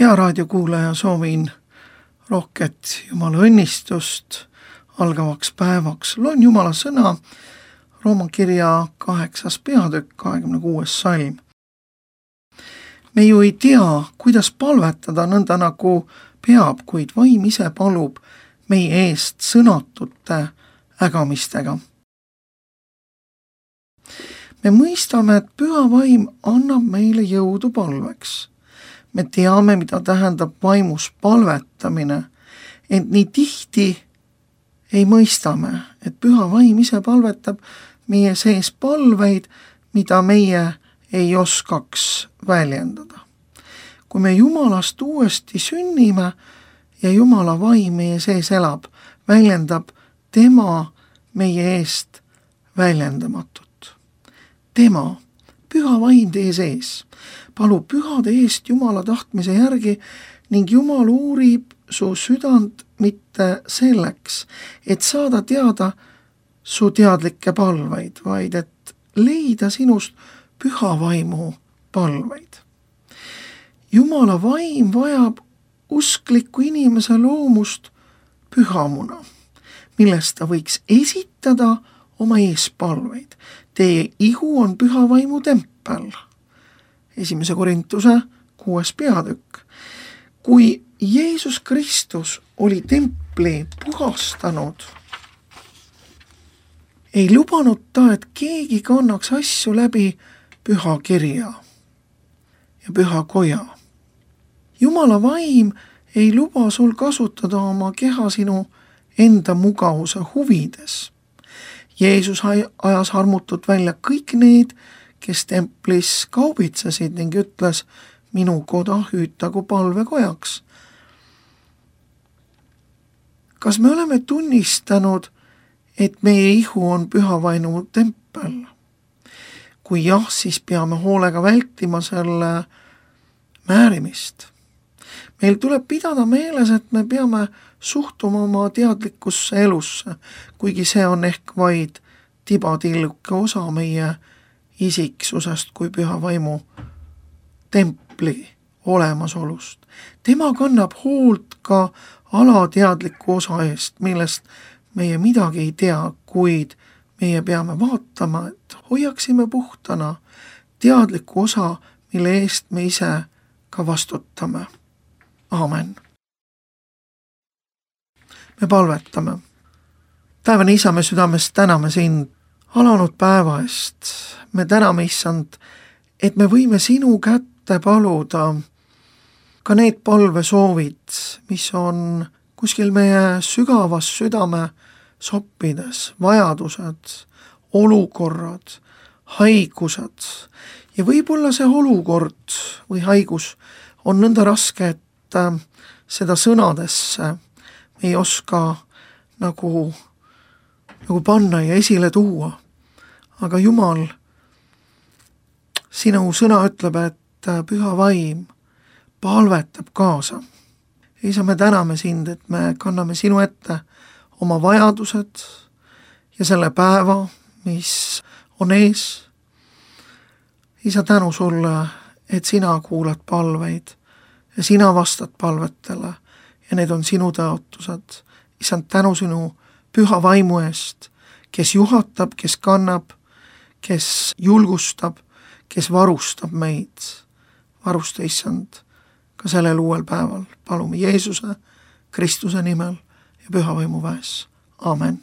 Hea raadiokuulaja, soovin rohket Jumala õnnistust algavaks päevaks. Loen Jumala sõna, Rooma kirja 8. peatükk, 26. salm. Me ju ei tea, kuidas palvetada nõnda nagu peab, kuid vaim ise palub meie eest sõnatute ägamistega. Me mõistame, et püha vaim annab meile jõudu palveks. Me teame, mida tähendab vaimus palvetamine, ent nii tihti ei mõistame, et püha vaim ise palvetab meie sees palveid, mida meie ei oskaks väljendada. Kui me Jumalast uuesti sünnime ja Jumala vaim meie sees elab, väljendab tema meie eest väljendamatut. Tema, püha vaim teie sees, palub pühade eest Jumala tahtmise järgi ning Jumal uurib su südant mitte selleks, et saada teada su teadlikke palveid, vaid et leida sinust püha vaimu palveid. Jumala vaim vajab uskliku inimese loomust pühamuna, millest ta võiks esitada oma eespalveid. Teie ihu on püha vaimu tempel. 1. Korintuse 6. peatükk. Kui Jeesus Kristus oli templi puhastanud, ei lubanud ta, et keegi kannaks asju läbi püha kirja ja püha koja. Jumala vaim ei luba sul kasutada oma keha sinu enda mugavuse huvides. Jeesus ajas armutult välja kõik need, kes templis kaubitsesid ning ütles, minu koda hüütagu palvekojaks. Kas me oleme tunnistanud, et meie ihu on püha vaimu tempel? Kui jah, siis peame hoolega vältima selle määrimist. Meil tuleb pidada meeles, et me peame suhtuma oma teadlikkusse elusse, kuigi see on ehk vaid tibatilluke osa meie isiksusest kui püha vaimu templi olemasolust. Tema kannab hoolt ka alateadliku osa eest, millest meie midagi ei tea, kuid meie peame vaatama, et hoiaksime puhtana teadliku osa, mille eest me ise ka vastutame. Aamen. Me palvetame. Taevane Isa, me südames täname sind alanud päeva eest. Me täname, Issand, et me võime sinu kätte paluda ka need palvesoovid, mis on kuskil meie sügavas südame soppides, vajadused, olukorrad, haigused. Ja võib-olla see olukord või haigus on nõnda raske, et seda sõnadesse me ei oska nagu panna ja esile tuua. Aga Jumal, sinu sõna ütleb, et püha vaim palvetab kaasa. Isa, me täname sind, et me kanname sinu ette oma vajadused ja selle päeva, mis on ees. Isa, tänu sulle, et sina kuulad palveid ja sina vastad palvetele ja need on sinu tõotused. Issand, tänu sinu püha vaimu eest, kes juhatab, kes kannab, kes julgustab, kes varustab meid. Varusta, Issand, ka sellel uuel päeval. Palume Jeesuse, Kristuse nimel ja püha vaimu väes. Amen.